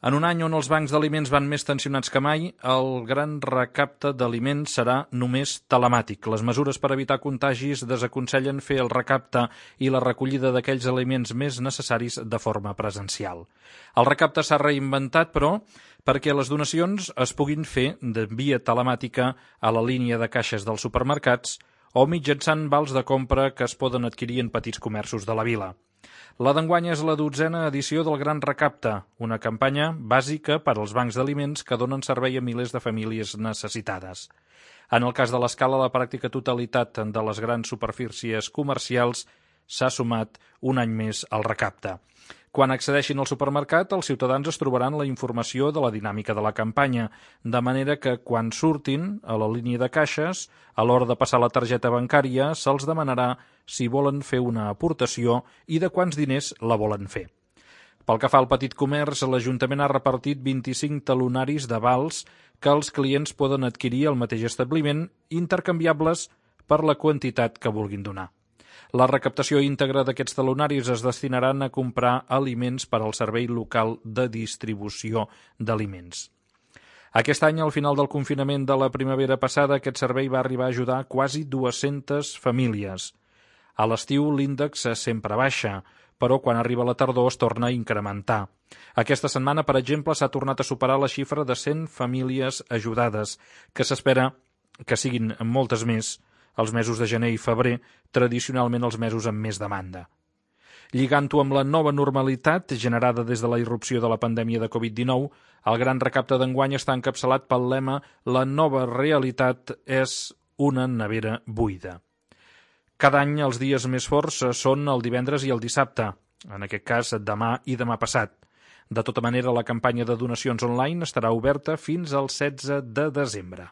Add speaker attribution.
Speaker 1: En un any on els bancs d'aliments van més tensionats que mai, el gran recapte d'aliments serà només telemàtic. Les mesures per evitar contagis desaconsellen fer el recapte i la recollida d'aquells aliments més necessaris de forma presencial. El recapte s'ha reinventat, però, perquè les donacions es puguin fer de via telemàtica a la línia de caixes dels supermercats o mitjançant vals de compra que es poden adquirir en petits comerços de la vila. La d'enguany és la 12a edició del Gran Recapte, una campanya bàsica per als bancs d'aliments que donen servei a milers de famílies necessitades. En el cas de l'Escala, la pràctica totalitat de les grans superfícies comercials s'ha sumat un any més al recapte. Quan accedeixin al supermercat, els ciutadans es trobaran la informació de la dinàmica de la campanya, de manera que quan surtin a la línia de caixes, a l'hora de passar la targeta bancària, se'ls demanarà si volen fer una aportació i de quants diners la volen fer. Pel que fa al petit comerç, l'Ajuntament ha repartit 25 talonaris de vals que els clients poden adquirir al mateix establiment, intercanviables per la quantitat que vulguin donar. La recaptació íntegra d'aquests talonaris es destinaran a comprar aliments per al Servei Local de Distribució d'Aliments. Aquest any, al final del confinament de la primavera passada, aquest servei va arribar a ajudar quasi 200 famílies. A l'estiu l'índex sempre baixa, però quan arriba la tardor es torna a incrementar. Aquesta setmana, per exemple, s'ha tornat a superar la xifra de 100 famílies ajudades, que s'espera que siguin moltes més els mesos de gener i febrer, tradicionalment els mesos amb més demanda. Lligant-ho amb la nova normalitat generada des de la irrupció de la pandèmia de Covid-19, el gran recapte d'enguany està encapçalat pel lema «La nova realitat és una nevera buida». Cada any els dies més forts són el divendres i el dissabte, en aquest cas demà i demà passat. De tota manera, la campanya de donacions online estarà oberta fins al 16 de desembre.